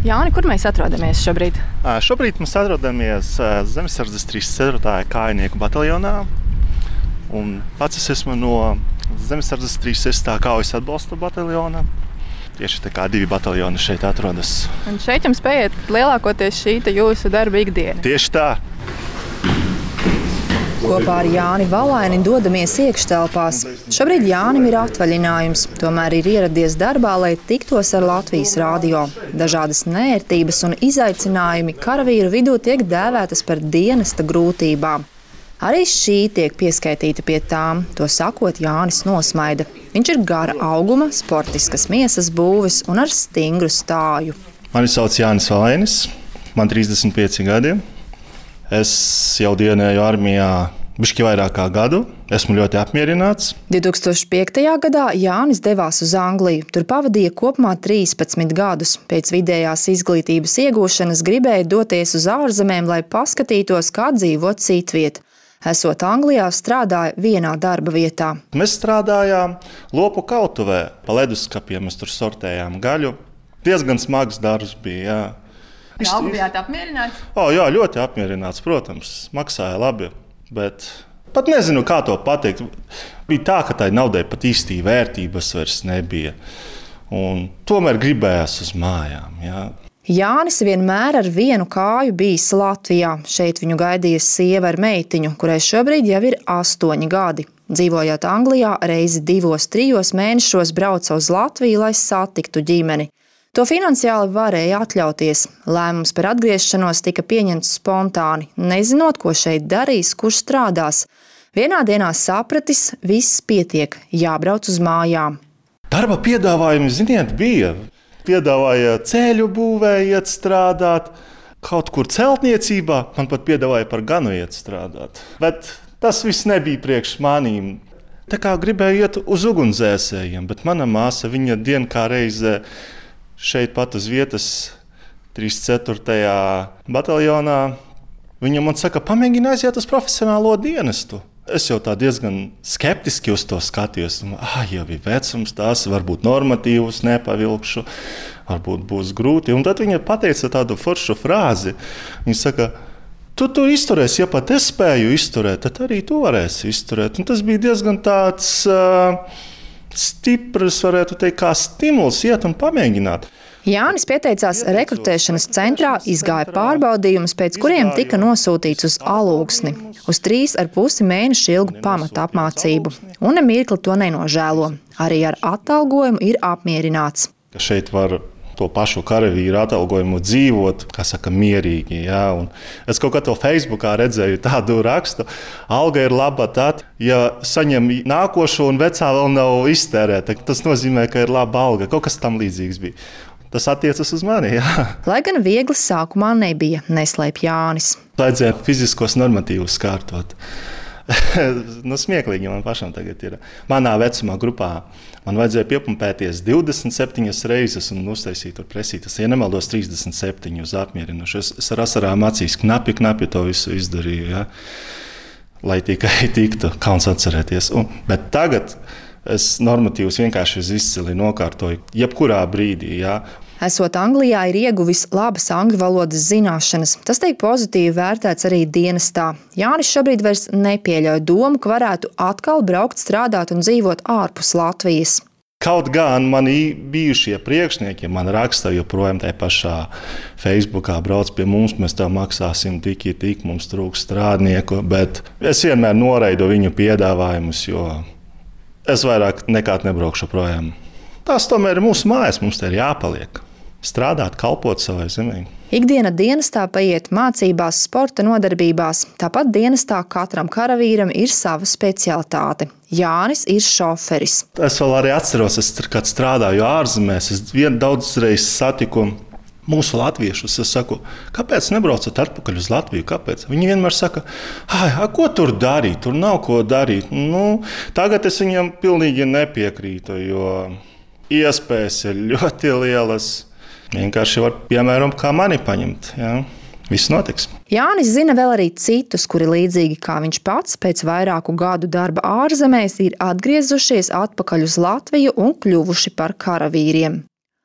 Jāni, kur mēs atrodamies šobrīd? Šobrīd mēs atrodamies Zemesardzes 34. kājnieku bataljonā. Un pats es esmu no Zemesardzes 36. kaujas atbalsta bataljona. Tieši tā kā 2 bataljoni šeit atrodas. Un šeit jums paiet lielākoties šī jūsu darba ikdiena. Tieši tā. Kopā ar Jāni Valaini dodamies iekštelpās. Šobrīd Jānim ir atvaļinājums, tomēr ir ieradies darbā, lai tiktos ar Latvijas radio. Dažādas neērtības un izaicinājumi karavīru vidū tiek dēvētas par dienesta grūtībām. Arī šī tiek pieskaitīta pie tām, to sakot Jānis nosmaida. Viņš ir gara auguma, sportiskas miesas būves un ar stingru stāju. Mani sauc Jānis Valainis, man 35 gadi. Es jau dienēju armijā bišķi vairāk kā gadu. Esmu ļoti apmierināts. 2005. gadā Jānis devās uz Angliju. Tur pavadīja kopumā 13 gadus. Pēc vidējās izglītības iegūšanas gribēja doties uz ārzemēm, lai paskatītos, kā dzīvot citviet. Esot Anglijā, strādāja vienā darba vietā. Mēs strādājām lopu kautuvē. Pa leduskapiem mēs tur sortējām gaļu. Diezgan smags darbs bija, jā. Algu bijāt apmierināts? Jā, ļoti apmierināts, protams. Maksāja labi, bet pat nezinu, kā to pateikt. Bija tā, ka tai naudai pat īstī vērtības vairs nebija. Un tomēr gribējās uz mājām, jā. Jānis vienmēr ar vienu kāju bijis Latvijā. Šeit viņu gaidīja sieva ar meitiņu, kurai šobrīd jau ir 8 gadi. Dzīvojot Anglijā, reizi 2-3 mēnešos brauca uz Latviju, lai satiktu ģimeni. To finansiāli varēja atļauties. Lēmums par atgriešanos tika pieņemts spontāni, nezinot, ko šeit darīs, kurš strādās. Vienā dienā sapratis, viss pietiek, jābrauc uz mājām. Darba piedāvājumi, ziniet, bija. Piedāvāja ceļu būvējiet strādāt, kaut kur celtniecībā, man pat piedāvāja par ganu iet strādāt. Bet tas viss nebija priekš manīm. Tā kā gribēju iet uz ugunsdzēsējiem, bet mana māsa, viņa dien kā reizē šeit pat uz vietas 34. bataljonā, viņa man saka, pamēģini aiziet uz profesionālo dienestu. Es jau tā diezgan skeptiski uz to skatījos. Jau ir vecums, tās varbūt normatīvus nepavilkšu, varbūt būs grūti. Un tad viņa pateica tādu foršu frāzi. Viņa saka, tu izturēsi, ja pat es spēju izturēt, tad arī tu varēsi izturēt. Un tas bija diezgan tāds stiprs, varētu teikt, kā stimuls iet un pamēģināt. Jānis pieteicās rekrutēšanas centrā, izgāja pārbaudījumus, pēc kuriem tika nosūtīts uz Alūksni, uz 3,5 mēnešu ilgu pamata apmācību. Un nemirkli to nenožēlo. Arī ar atalgojumu ir apmierināts. Šeit var to pašu karavīru atalgojumu dzīvot, kā saka, mierīgi. Jā. Un es kaut kā to Facebookā redzēju tādu rakstu. Alga ir laba tad, ja saņem nākošo un vecā vēl nav iztērēta. Tas nozīmē, ka ir laba alga. Kaut kas tam līdzīgs bija. Tas attiecas uz mani, jā. Lai gan viegli sākumā nebija, neslēp Jānis. Vajadzēja fiziskos normatīvus kārtot. Smieklīgi man pašam tagad ir. Manā vecumā grupā man vajadzēja piepumpēties 27 reizes un uztaisīt tur presītas. Ja nemaldos 37 uz apmierinošu. Es ar asarām acīs knapi to visu izdarīju, jā. Lai tikai tiktu, kauns atcerēties. Bet tagad es normatīvus vienkārši izcili nokārtoju jebkurā brīdī, jā. Esot Anglijā, ir ieguvis labas angļu valodas zināšanas. Tas tiek pozitīvi vērtēts arī dienestā. Jānis šobrīd vairs nepieļauj domu, ka varētu atkal braukt strādāt un dzīvot ārpus Latvijas. Kaut gan mani bijušie priekšnieki man raksta joprojām tajā pašā Facebookā, brauc pie mums, mēs tev maksāsim tik, mums trūks strādnieku, bet es vienmēr noraidu viņu piedāvājumus, jo es vairāk nekād nebraukšu projām. Tās tomēr ir mūsu mājas, mums te ir jāpaliek. Strādāt, kalpot savai zemē. Ikdiena dienestā paiet mācībās, sporta nodarbībās. Tāpat dienestā katram karavīram ir sava specialitāte. Jānis ir šoferis. Es vēl arī atceros, kad strādāju ārzemēs, es daudzreiz satiku mūsu latviešus. Es saku, kāpēc nebraucat atpakaļ uz Latviju? Kāpēc? Viņi vienmēr saka, ko tur darīt? Tur nav ko darīt. Tagad es viņiem pilnīgi nepiekrītu, jo iespējas ir ļoti lielas. Vienkārši var, piemēram, kā mani paņemt. Jā. Viss notiks. Jānis zina vēl arī citus, kuri līdzīgi kā viņš pats pēc vairāku gadu darba ārzemēs ir atgriezušies atpakaļ uz Latviju un kļuvuši par karavīriem.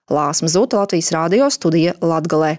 Lāsma Zuta, Latvijas Rādio, studija Latgalē.